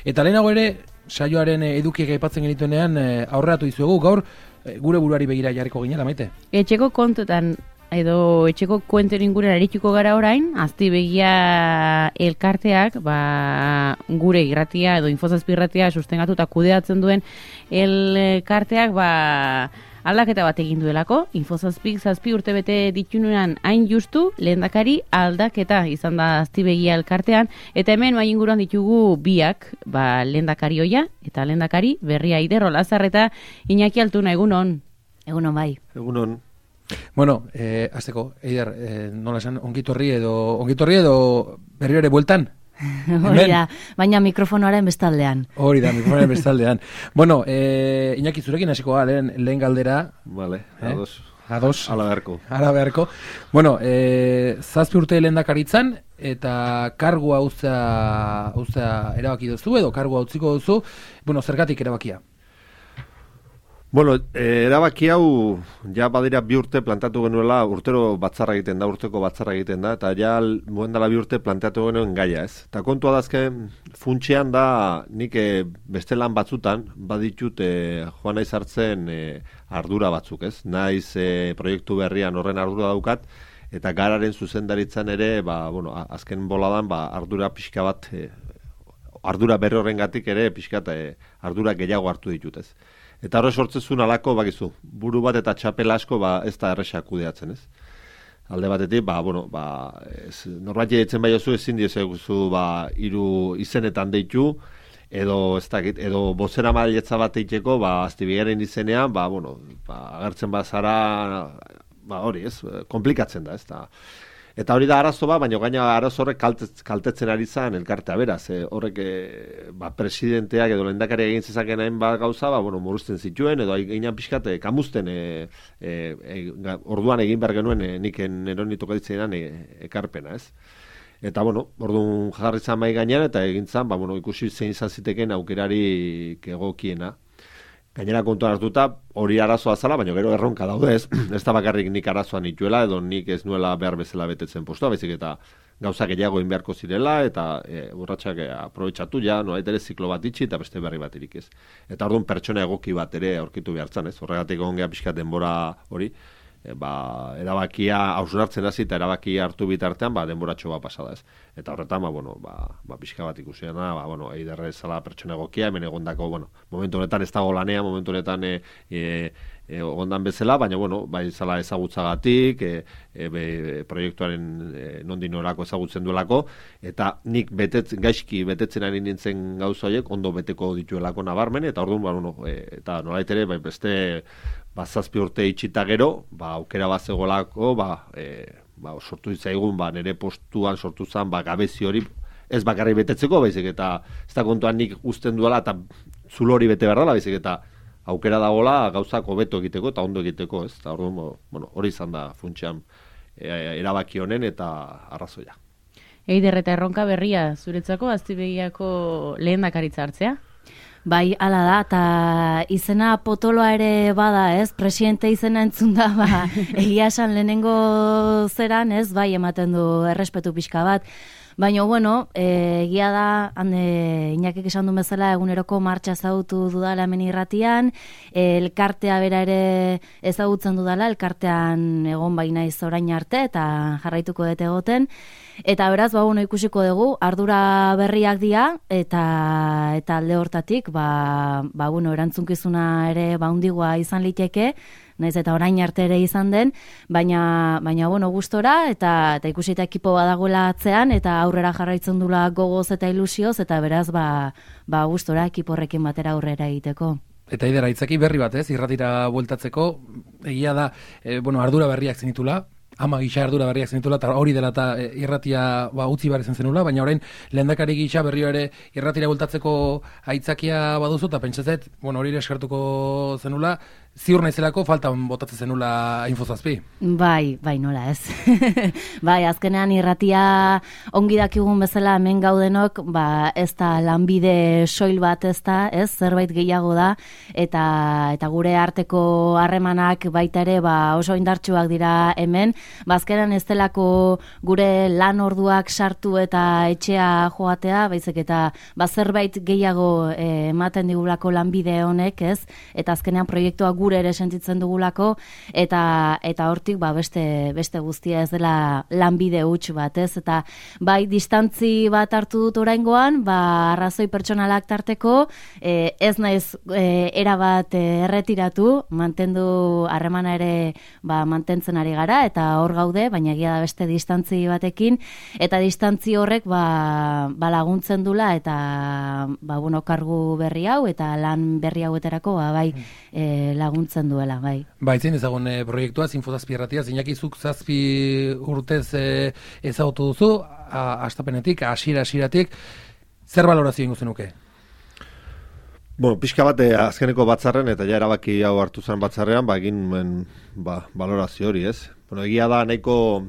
Eta lehenago ere, saioaren edukiek aipatzen genituenean aurreratu dizuegu, gaur gure buruari begira jarriko ginela, Maite. Etxeko kontutan edo etxeko kuenten inguruan arituko gara orain, Aztibegia elkarteak, gure irratia edo Info7 irratia sustengatu eta kudeatzen duen elkarteak, aldaketa bat egin duelako. Info7 urte bete ditunuan hain justu, lehendakari aldaketa izan da Aztibegia elkartean, eta hemen mai inguruan ditugu biak, lehendakari oia, eta lehendakari berria Eider Olazar eta Iñaki Altuna, egunon. Egunon bai. Egunon. Bueno, azteko, Eider, nola esan, ongitorri edo berriro ere bueltan? Hori da, baina mikrofonoaren bestaldean. Hori da, mikrofonoaren bestaldean. Bueno, Iñaki, zurekin hasiko lehen galdera. Vale, ados. Ala beharko. Bueno, 7 urte lehendakaritzan, eta kargua uztea erabaki duzu, edo kargua utziko duzu, bueno, zergatik erabakia? Bueno, erabaki hau ja badira 2 urte plantatu genuela, urteko batzarra egiten da, eta ja moen dela 2 urte plantatu genuen gaia, ez? Eta kontua dazken, funtxean da, nik beste lan batzutan, baditut joan naiz hartzen ardura batzuk, ez? Naiz proiektu berrian horren ardura daukat, eta gararen zuzendaritzan ere, azken boladan, ardura pixka bat, ardura berri horrengatik ere, pixka ardura gehiago hartu ditut, ez? Eta horre sortzezun alako, bakizu, buru bat eta txapela asko ez da erresak kudeatzen, ez? Alde batetik, norbait ditzen bai oso ezin diezugu 3 izenetan deitu, edo bozera mailetza bat eiteko, Aztibegiaren izenean, agertzen bazara, hori, ez? Komplikatzen da, ez da. Eta hori da arazo baina gaina arazo horrek kaltetzen ari zan elkartea beraz. Horrek presidenteak edo lehendakariak egin zezaken hain gauza, muruzten zituen, edo gainan pixkat kamuzten orduan egin behar genuen nik eron tokatitzenan ekarpena, ez? Eta, orduan jarri zan mai gainean, eta egin zan, ikusi zein izan ziteken aukerarik egokiena. Gainera kontuan hartuta, hori arazoa zala, baina gero erronka daude, ez da bakarrik nik arazoan nituela, edo nik ez nuela behar bezala betetzen postua, baizik eta gauzak gehiago egin beharko zirela, eta urratsak aprobetxatu nolait ere ziklo bat itxi, eta beste berri bat irik ez. Eta orduan pertsona egoki bat ere aurkitu behartzen, ez? Horregatik ongea pixka denbora hori, erabakia hausnartzen hasi eta erabakia hartu bitartean denboratxo bat pasada, ez? Eta horretan, pixka bat ikusiena, Eiderre zala pertsona egokia, hemen egondako, momentu honetan ez dago lanea, momentu honetan egondan bezala, baina, bai zala ezagutzagatik, proiektuaren nondin orako ezagutzen duelako, eta nik gaizki betetzen ari nintzen gauza horiek, ondo beteko dituelako nabarmen, eta orduan, eta nolait ere, beste 7 urte itxita gero, aukera bat zegolako, sortu ditzaigun, nire postuan sortu zen, gabezi hori, ez bakarri betetzeko, baizik, eta ez da kontuan nik uzten duela, eta zulo hori bete behar dela, baizik, eta aukera dagoela gauzak hobeto egiteko, eta ondo egiteko, ez? Eta hori izan da funtsean erabaki honen eta arrazoia. Eider eta erronka berria zuretzako Aztibegiako lehendakaritza hartzea? Bai, hala da, eta izena potoloa ere bada, ez? Presidente izena entzun da, egia esan lehenengo zeran, ez? Bai, ematen du errespetu pixka bat. Baina, egia da, Iñakik esan du bezala, eguneroko martxa ezagutu dudala hemen irratian, elkartea bera ere ezagutzen dudala, elkartean egon naiz orain arte, eta jarraituko dut egoten. Eta beraz, ikusiko dugu, ardura berriak dira, eta alde hortatik, erantzunkizuna ere handigoa izan liteke, naiz eta orain arte ere izan den, baina gustora, eta ikusita ekipo badagoela atzean, eta aurrera jarraitzen dula gogoz eta ilusioz, eta beraz, gustora ekipo horrekin batera aurrera egiteko. Eta Eider, aitzaki berri bat, ez? Irratira bueltatzeko, egia da, ardura berriak zenitula, gisa ardura berriak zenitula, eta hori dela eta irratia utzi behar izan zenula, baina orain lehendakari gisa berrio ere irratira bueltatzeko aitzakia baduzu, eta pentsatzet, hori ere eskartuko zenula, ziur naizelako faltan botatzen zenula Infozazpi. Bai, nola ez. Bai, azkenean irratia ongi dakigun bezala hemen gaudenok, ez da lanbide soil bat ez da, ez, zerbait gehiago da, eta gure arteko harremanak baita ere oso indartsuak dira hemen, azkenean ez delako gure lan orduak sartu eta etxea joatea, baizik eta zerbait gehiago ematen digulako lanbide honek, ez, eta azkenean proiektuak gure ere sentitzen dugulako, eta hortik beste guztia ez dela lanbide huts bat, ez? Eta bai, distantzi bat hartu dut oraingoan, arrazoi pertsonalak tarteko, ez naiz erabat erretiratu, mantendu harremana ere mantentzen ari gara, eta hor gaude, baina egia da beste distantzi batekin, eta distantzi horrek laguntzen dula, eta kargu berri hau, eta lan berri hauetarako laguntzen duela, bai. Baitzen ezagun proiektua, Infozazpi irratia, Iñakizuk 7 urtez ezagutu duzu, hastapenetik, hasieratik, zer balorazio ingo zenuke? Bueno, pixka bat azkeneko batzarren, eta ja erabaki hau hartu zen batzarrean, egin balorazio hori, ez? Bueno, egia da, nahiko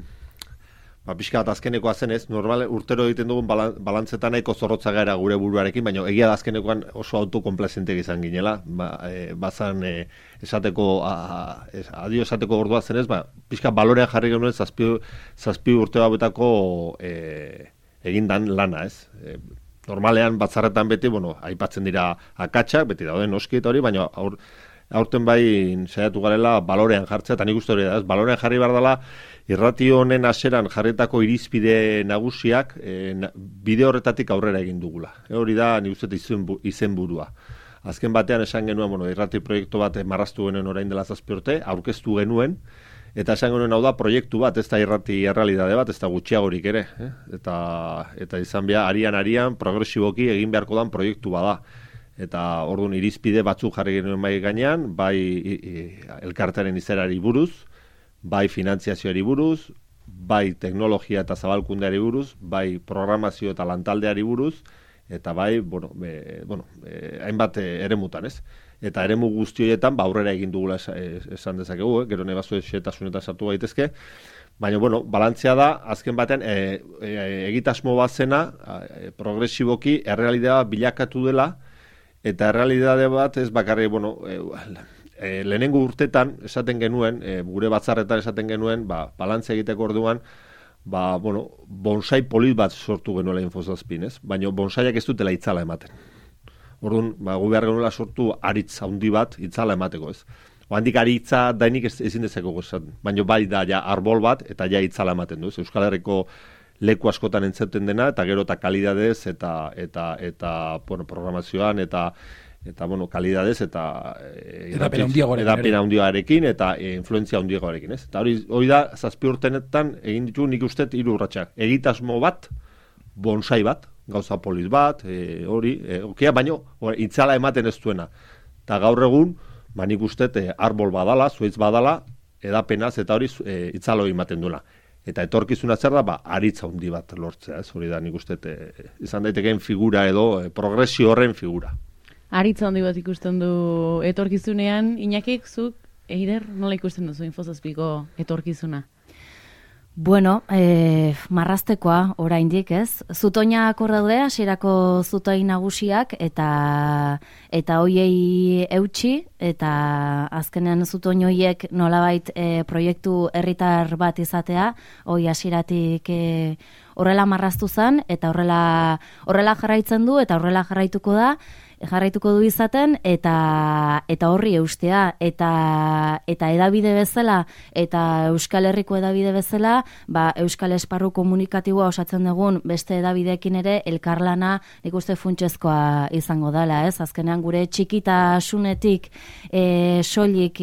pixka bat azkenekoa zen ez, normal urtero egiten dugun balantzetan nahiko zorrotza gara gure buruarekin, baina egia da azkenekoan oso autokomplazentek izan ginela, bazan esateko, adio esateko ordua zen ez, pixka balorean jarri genuen zazpi urte hauetako egindan lana ez. Normalean batzarretan beti, aipatzen dira akatsak, beti dauden noski eta hori, baina aurten saiatu garela balorean jartzea, eta nik uste hori da, balorean jarri behar dela, irratio honen hasieran jarritako irizpide nagusiak bide horretatik aurrera egin dugula. Hori da, nik uste izenburua. Azken batean esan genuen, irrati proiektu bat marraztu genuen orain dela 7 urte, aurkeztu genuen, eta esan genuen hau da proiektu bat, ez da irrati errealitate bat, ez da gutxiagorik ere. Eta izan behar, arian, progresiboki egin beharko dan proiektu bada. Eta orduan irizpide batzuk jarri genuen bai gainean, bai elkartearen izerari buruz, bai finantziazioari buruz, bai teknologia eta zabalkundeari buruz, bai programazio eta lantaldeari buruz, eta bai, hainbat eremutan, ez? Eta eremu guzti horietan, aurrera egin dugula esan dezakegu, gero nebazu xetasunetan sartu gaitezke, baina, balantzea da, azken batean, egitasmo bat zena, progresiboki, errealitatea bilakatu dela, eta errealitate bat ez bakarri, lehenengo urtetan esaten genuen, gure batzarretan esaten genuen, balantzea egiteko orduan, bonsai polit bat sortu genuela Infozazpin, ez? Baina bonsaiak ez dutela itzala ematen. Orduan, gu behar genuela sortu aritz handi bat itzala emateko, ez? Handik aritza dainik ezin dezakegu esaten, baina bai da ja arbol bat eta ja itzala ematen du, ez? Euskal Herriko leku askotan entzuten dena, eta gero eta kalidadez, eta programazioan, eta kalidadez, eta edapena handiagoarekin, eta influentzia handiagoarekin, ez? Eta hori da, 7 urtenetan, egin ditu nik uste 3 urratsak. Egitasmo bat, bonsai bat, gauza polit bat, baina itzala ematen ez duena. Eta gaur egun, nik uste arbol badala, zuaitz badala, edapenaz, eta hori itzalo ematen duela. Eta etorkizuna zer da, aritza handi bat lortzea, ez? Hori da, nik uste izan daitekeen figura edo progresio horren figura. Aritza handi bat ikusten du etorkizunean, Iñakik, zuk, Eider, nola ikusten duzu Infozazpiko etorkizuna? Bueno, marraztekoa oraindik, ez? Zutoinak hor daude, hasierako zutoin nagusiak, eta hoiei eutsi, eta azkenean zutoin hoiek nolabait proiektu herritar bat izatea, hoi hasieratik horrela marraztu zen, eta horrela jarraitzen du, eta horrela jarraituko du izaten, eta horri eustea, eta edabide bezala, eta Euskal Herriko edabide bezala, Euskal Esparru komunikatiboa osatzen dugun beste edabideekin ere elkarlana nik uste funtsezkoa izango dela, ez? Azkenean gure txikitasunetik soilik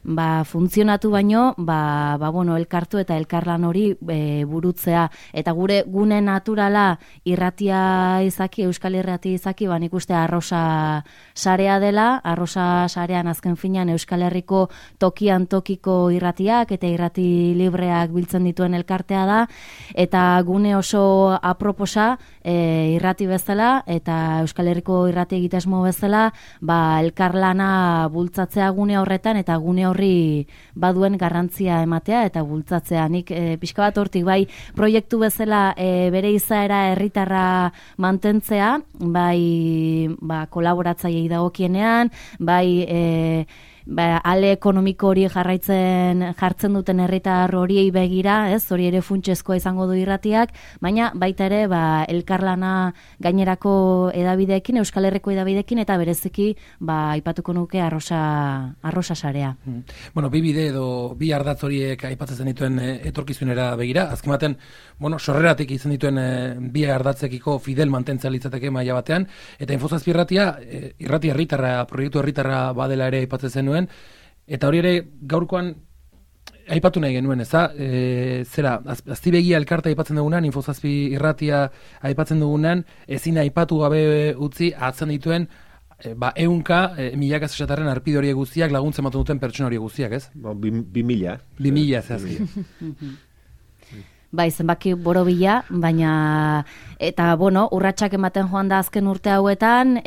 funtzionatu baino, bueno, elkartu eta elkarlan hori burutzea. Eta gure gune naturala irratia izaki, Euskal Irratia izaki, nik uste arrosa sarea dela, arrosa sarean azken finean Euskal Herriko tokian tokiko irratiak eta irrati libreak biltzen dituen elkartea da, eta gune oso aproposa irrati bezala eta Euskal Herriko irrati egitasmo bezala, elkarlana bultzatzea gune horretan eta gune horri baduen garrantzia ematea eta bultzatzea. Nik pixka bat hortik bai proiektu bezala bere izaera herritarra mantentzea, bai kolaboratzailei dagokienean, bai ale ekonomiko hori jartzen duten herritar horiei begira, hori ere funtsezkoa izango du irratiak, baina baita ere elkarlana gainerako edabideekin, Euskal Herriko edabideekin, eta bereziki aipatuko nuke arrosa sarea. Bueno, bi bide edo bi ardatz horiek aipatzen dituen etorkizunera begira, azken baten, sorreratik izan dituen bi ardatzekiko fidel mantentzea litzateke maila batean, eta Infozazpi irratia herritarra, proiektu herritarra badela ere aipatzen zenuen, eta hori ere gaurkoan aipatu nahi genuen, zera, Aztibegia elkarta aipatzen dugunan, Infozazpi irratia aipatzen dugunan, ezin aipatu gabe utzi atzen dituen ehunka milaka esatarren arpide hori guztiak laguntzen ematen duten pertsona hori guztiak, ez? 2000. 2000 zehazki. Bai, zenbaki borobila, baina eta urratsak ematen joan da azken urte hauetan,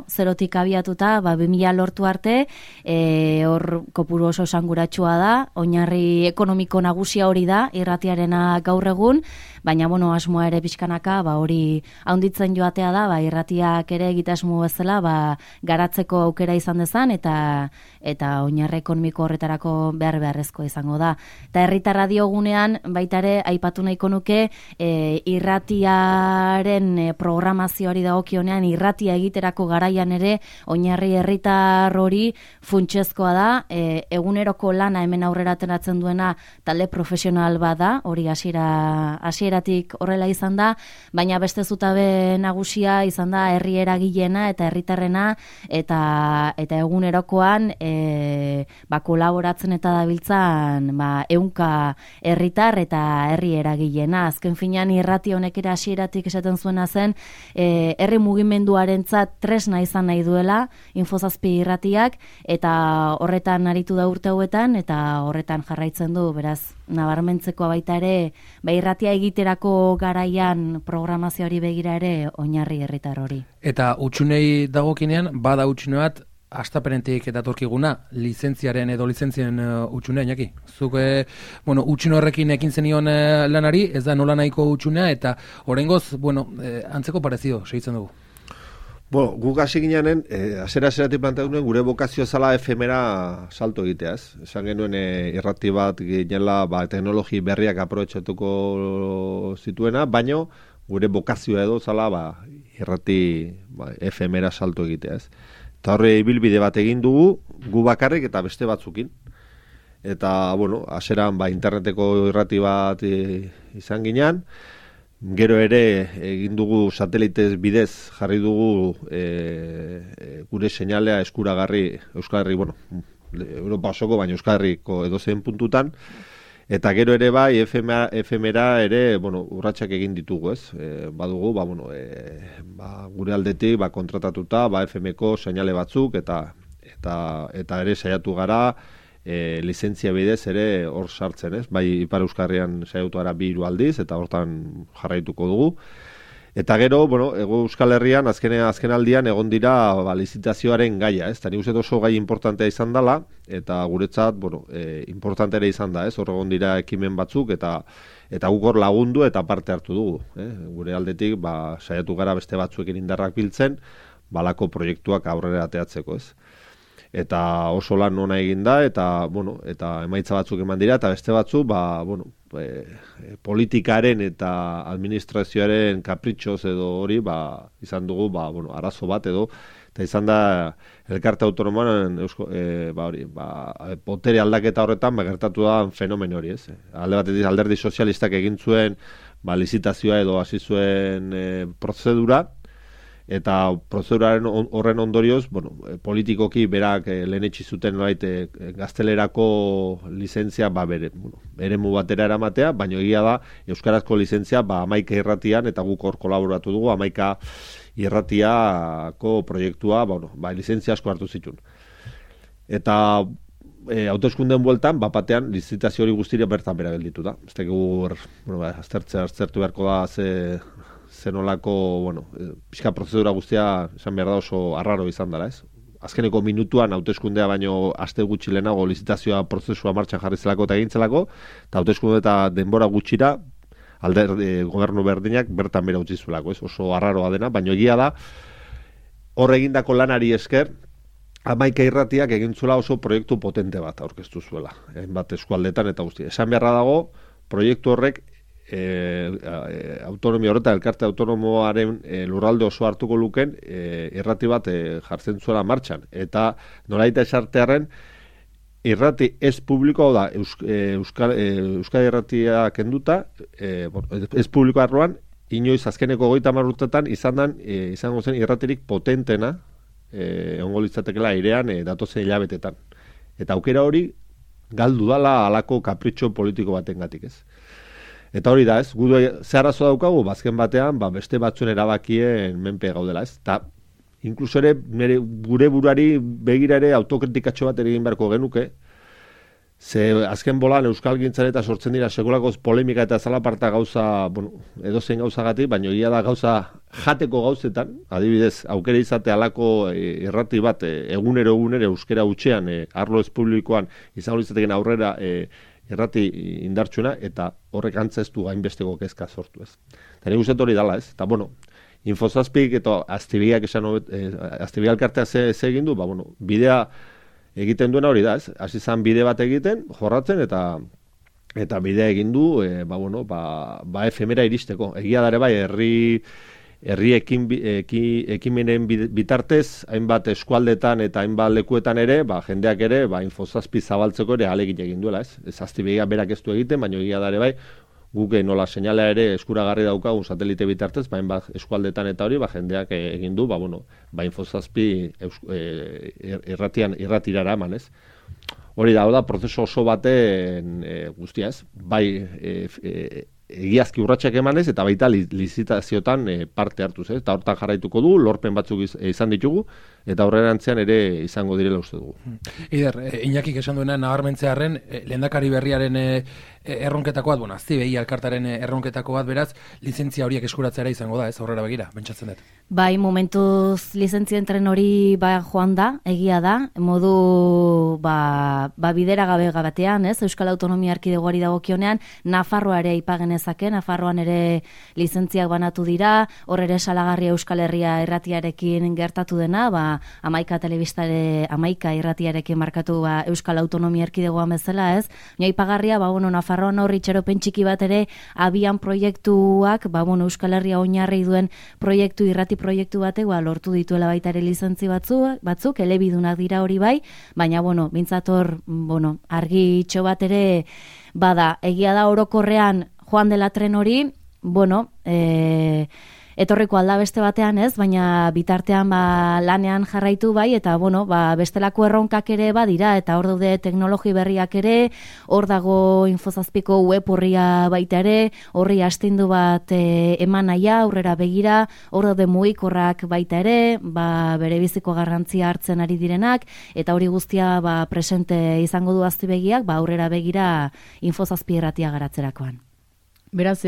zerotik abiatuta, 2000 lortu arte, hor kopuru oso esanguratsua da, oinarri ekonomiko nagusia hori da, irratiarena gaur egun, baina asmoa ere pixkanaka, hori haunditzen joatea da, irratiak ere egitasmo bezala, garatzeko aukera izan dezan, eta oinarri ekonomiko horretarako beharrezkoa izango da. Eta herritarra diogunean, baita ere, aipatu nahiko nuke, irratiaren programazioari dagokionean, irratia egiterako garaian ere, oinarri herritar hori funtsezkoa da, eguneroko lana hemen aurrera ateratzen duena talde profesional bada, hori hasieratik horrela izan da, baina beste zutabe nagusia izan da herri eragilena eta herritarrena, eta egunerokoan kolaboratzen eta dabiltzan ehunka herritar eta herri eragilena. Azken finean irrati honek ere hasieratik esaten zuena zen, herri mugimenduarentzat tresna izan nahi duela Infozazpi irratiak, eta horretan aritu da urte hauetan, eta horretan jarraitzen du, beraz, nabarmentzeko baita ere, irratia egiterako garaian programazioari begira ere oinarri herritar hori. Eta utxunei dagokinean, bada utxune bat, astapenetik datorkiguna, lizentzien utxunea, Iñaki. Zuk, utxune horrekin ekin zenion lanari, ez da nola nahiko utxunea, eta oraingoz, antzeko parezido, segitzen dugu. Guk hasi gineanen, azera-azeratik planteatu nuen, gure bokazio zala efemera salto egitea, ez? Esan genuen irrati bat ginela teknologi berriak aprobetxatuko zituena, baino gure bokazioa edo zala irrati efemera salto egitea, ez? Eta horre ibilbide bat egin dugu, gu bakarrik eta beste batzukin. Eta, aseran interneteko irrati bat izan ginean, gero ere egin dugu satelitez bidez jarri dugu gure seinalea eskuragarri, Euskal Herri, Europa osoko, baina Euskal Herriko edozein puntutan, eta gero ere efemera ere, urratsak egin ditugu, ez? Badugu, gure aldetik, kontratatuta, FMko seinale batzuk, eta ere saiatu gara, lizentzia bidez ere hor sartzen, ez? Bai, Ipar Euskal Herrian saiatu gara 2 aldiz, eta hortan jarraituko dugu. Eta gero, Euskal Herrian azken aldian egon dira lizitazioaren gaia, ez? Tani uste oso gai importantea izan dela, eta guretzat, importante ere izan da, ez? Hor egon dira ekimen batzuk, eta guk hor lagundu eta parte hartu dugu. Gure aldetik, saiatu gara beste batzuekin indarrak biltzen, balako proiektuak aurrera ateatzeko, ez? Eta oso lan ona egin da, eta emaitza batzuk eman dira, eta beste batzuk, politikaren eta administrazioaren kapritxoz edo hori, izan dugu, arazo bat edo, eta izan da, elkarte autonomoan, potere aldaketa horretan, gertatu da fenomen hori, ez? Alde batetik alderdi sozialistak egin zuen, lizitazioa edo hasi zuen prozedura, eta prozeduraren horren ondorioz, politikoki berak lehenetsi zuten gaztelerako lizentzia eremu batera eramatea, baina egia da euskarazko lizentzia 11 irratian, eta guk hor kolaboratu dugu 11 irratiako proiektua, lizentzia asko hartu zituen. Eta hauteskundeen bueltan, batean lizitazio hori guztira bertan bera gelditu da. Ez tekigu, aztertu beharko da zenolako, pixka prozedura guztia esan behar da oso arraro izan dela, ez? Azkeneko minutuan hauteskundea baino aste gutxi lehenago lizitazioa prozesua martxan jarri zelako eta egintzelako, eta hauteskunde eta denbora gutxira gobernu berdinak bertan bera utzi zuelako, ez? Oso arraroa dena, baino egia da hor egindako lanari esker 11 irratiak egin zuela oso proiektu potente bat aurkeztu zuela, bat eskualdetan eta guztia. Esan beharra dago, proiektu horrek autonomia horretan, elkarte autonomoaren lurralde oso hartuko luken irrati bat jartzen zuela martxan. Eta nolaita esartearen irrati ez publiko, da Euskal Irratia kenduta, ez publiko arloan, inoiz azkeneko 30 urtetan izango zen irratirik potentena egongo litzatekela airean datozen hilabetetan. Eta aukera hori galdu dala halako kapritxo politiko batengatik, ez? Eta hori da, ez? Gu ze arazo daukagu, azken batean, beste batzuen erabakien menpe gaudela, ez? Eta inkluso ere gure buruari begira ere autokritikatxo bat egin beharko genuke, ze azken bolan euskalgintzan eta sortzen dira sekulako polemika eta zalaparta gauza, edozein gauzagatik, baina egia da gauza jateko gauzetan, adibidez, aukera izate halako irrati bat egunero euskera hutsean, arlo ez publikoan izango litzateken aurrera irrati indartsuena, eta horrek antzeztu gainbesteko kezka sortu, ez. Eta nik uste hori dala, ez. Eta, Infozazpik eta Aztibegiak Aztibegia elkartea ze egin du, bidea egiten duena hori da, ez? Hasi izan bide bat egiten, jorratzen, eta bidea egin du, efemera iristeko. Egia dare bai, herri ekimenen bitartez, hainbat eskualdetan eta hainbat lekuetan ere, jendeak ere, Infozazpi zabaltzeko ere alegin egin duela, ez? Ez Aztibegia berak ez du egiten, baina egia dare bai, guk nola seinala ere eskuragarri daukagun satelite bitartez, eskualdetan eta hori, jendeak egin du, Infozazpi irratirara eman, ez? Hori da, prozesu oso baten guztia, ez? Egiazki urratsak emanez eta baita lizitaziotan parte hartuz, ez? Eta hortan jarraituko du, lorpen batzuk izan ditugu, eta aurrerantzean ere izango direla uste dugu. Ider, Iñakik esan duena nabarmentzearren, lehendakari berriaren erronketako bat, Aztibegia elkartaren erronketako bat, beraz, lizentzia horiek eskuratzera izango da, ez aurrera begira, pentsatzen dut. Bai, momentuz lizentzien tren hori joan da, egia da, modu bidera gabe batean, ez? Euskal Autonomia Erkidegoari dagokionean, Nafarroa ere ipagenezake, Nafarroan ere lizentziak banatu dira, hor ere salagarria Euskal Herria irratiarekin gertatu dena, 11 telebistare 11 irratiarekin markatu Euskal Autonomia Erkidegoan bezala, ez? Baina ipagarria, Nafarroan hor itxaropen txiki bat ere abian proiektuak, Euskal Herria oinarri duen irrati proiektu batek lortu dituela baita ere lizentzi batzuk, elebidunak dira hori bai, baina mintzator argi itxo bat ere bada, egia da orokorrean joan dela tren hori, etorriko alda beste batean, ez? Baina bitartean lanean jarraitu bai, eta bestelako erronkak ere badira, eta hor daude teknologi berriak ere, hor dago Infozazpiko web horria baita ere, horri astindu bat eman naia, aurrera begira, hor daude mugikorrak baita ere, bere biziko garrantzia hartzen ari direnak, eta hori guztia presente izango du Aztibegiak, aurrera begira Infozazpi irratia garatzerakoan. Beraz,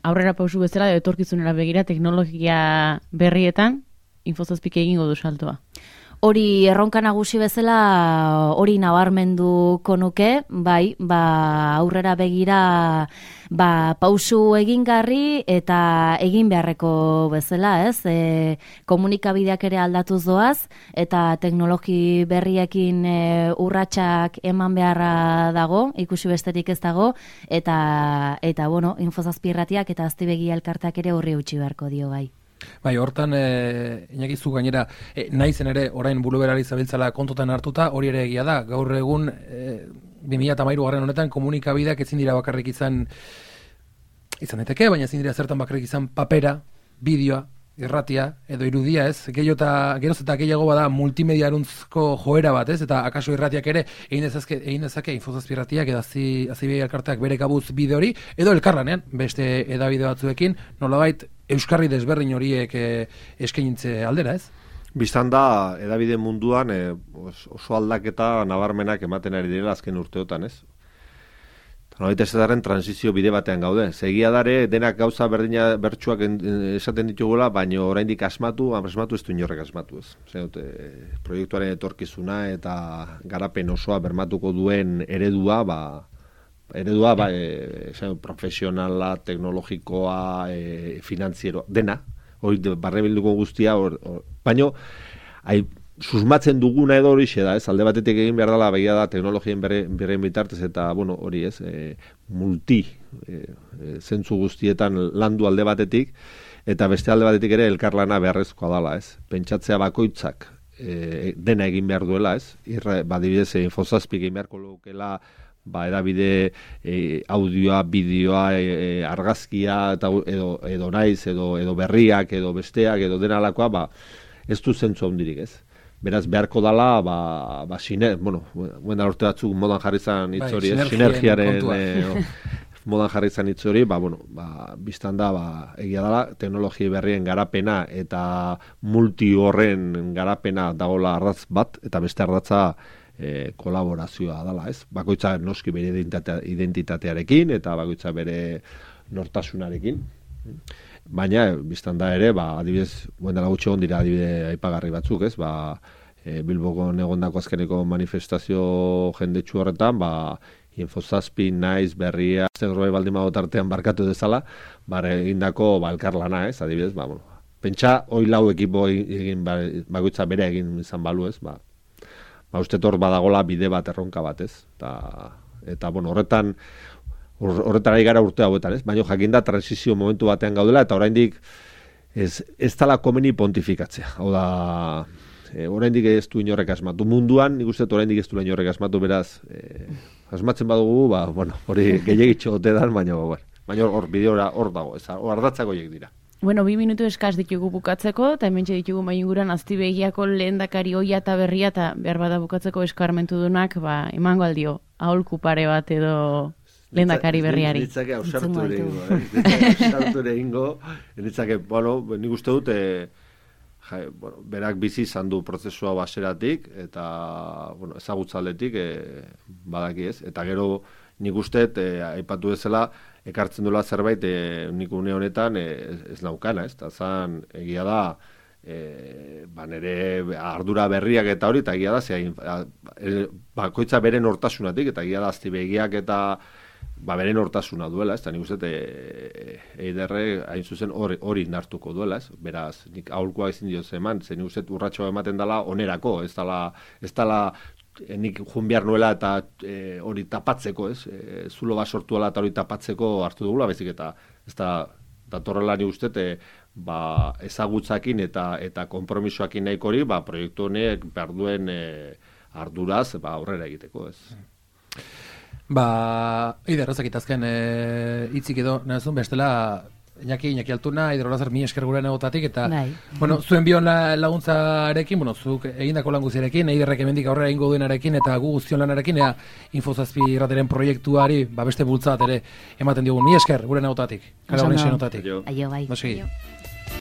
aurrera pausu bezala, etorkizunera begira, teknologia berrietan, Infozazpik egingo du saltoa. Hori erronka nagusi bezala hori nabarmenduko nuke, aurrera begira pausu egingarri eta egin beharreko bezala, ez? Komunikabideak ere aldatuz doaz, eta teknologi berriekin urratsak eman beharra dago, ikusi besterik ez dago, eta Infozazpi irratiak eta Aztibegia elkarteak ere horri utzi beharko dio bai. Bai, hortan, Iñaki zu gainera, naizen ere orain buluberari zabiltzala kontutan hartuta, hori ere egia da, gaur egun 2013 honetan komunikabideak ezin dira bakarrik izan daiteke, baina ezin dira zertan bakarrik izan papera, bideoa, irratia edo irudia, ez? Geroz eta gehiago bada multimediaruntzko joera bat, ez? Eta akaso irratiak ere egin dezake Infozazpi irratiak edo Azibegi elkarteak bere kabuz bide hori, edo elkarlanean beste edabide batzuekin, nolabait euskarri desberdin horiek eskainitze aldera, ez? Bistan da, edabide munduan oso aldaketa nabarmenak ematen ari direla azken urteotan, ez? Nolait ez daren transizio bide batean gaude. Segia dare, denak gauza berdina bertsuak esaten ditugula, baina oraindik asmatu ez du inorrek asmatu, ez. Proiektuaren etorkizuna eta garapen osoa bermatuko duen eredua, profesionala, teknologikoa, finanziero, dena, hori barrebilduko guztia, baina, susmatzen duguna edo hori da, ez, alde batetik egin behar dela begia da teknologien bere bitartez eta, bueno, hori ez, zentzu guztietan landu alde batetik, eta beste alde batetik ere elkarlana beharrezkoa dela, ez, pentsatzea bakoitzak dena egin behar duela, ez, badibidez Infozazpi egin beharko lukela, edabide audioa, bideoa, argazkia, edo naiz, edo berriak, edo besteak, edo dena alakoa, ez du zentzu handirik, ez. Beraz, beharko dala, urte batzuk modan jarri zan hitz hori, sinergiaren modan jarri zan hitz hori, biztan da, egia dala, teknologia berrien garapena eta multi horren garapena dagoela ardatz bat, eta beste ardatza kolaborazioa dala, ez? Bakoitza noski bere identitatearekin, eta bakoitza bere nortasunarekin. Baina, biztan da ere, adibidez, dela gutxi egon dira adibide aipagarri batzuk, ez? Bilboko egondako azkeneko manifestazio jendetsu horretan, Infozazpi, naiz, berria, zegroi baldin tartean barkatu dezala, egindako elkarlana, ez? Adibidez, pentsa, hoi lau ekipo egin, bakoitza bere egin izan balu, ez? Uste hor badagola bide bat erronka bat, ez? Eta, horretara igara urte hauetan, ez? Baina jakinda transizio momentu batean gaudela, eta oraindik ez dala komeni pontifikatzea. Hau da, oraindik ez du inorrek asmatu. Munduan, nik uste oraindik ez du inorrek asmatu, beraz, asmatzen badugu, hori gehiagitxo gote dan, baina hor bideora hor dago, hor ardatzako horiek dira. Bueno, 2 minutu eskaz ditugu bukatzeko, eta hemen ditugu mainguran Aztibegiako lehendakari ohia eta berria, eta behar bada bukatzeko eskarmentu dunak, emango aldio, aholku pare bat edo lehendakari berriari. Nitzake ausartu ere ingo, nik uste dut, berak bizi izan du prozesua baseratik, eta ezagutzaldetik badaki ez, eta gero nik uste aipatu bezala, ekartzen duela zerbait nik une honetan ez naukana, ez? Zan, egia da, nire ardura berriak eta hori, eta egia da, bakoitza beren hortasunatik, eta egia da, Aztibegiak eta beren hortasuna duela, ez? Eta nik uste, eiderre, hain zuzen, hori nartuko duela, ez? Beraz, nik aholkoa ezin dioz eman, zen nik uste urratxoa ematen dela onerako, ez dela nik jun behar nuela eta hori tapatzeko, ez? Zulo bat sortuela eta hori tapatzeko hartu dugula, bezik eta ez da datorrela ni uste, ezagutzakin eta konpromisoakin nahiko hori, proiektu honek behar duen arduraz aurrera egiteko, ez? Eider, ezakitazken hitzik edo, nahazun, bestela Iñaki Altuna, Eider Olazer, mi esker gurean egotatik, eta, zuen bion laguntzarekin, zuk egindako lan guziarekin, Eiderrek hemendik aurrera egingo duenarekin, eta gu guztion lanarekin, Infozazpi irrateren proiektuari, beste bultza bat ere ematen diogun, mi esker gurean egotatik, kara honen xenotatik. Aio, bai. Aio.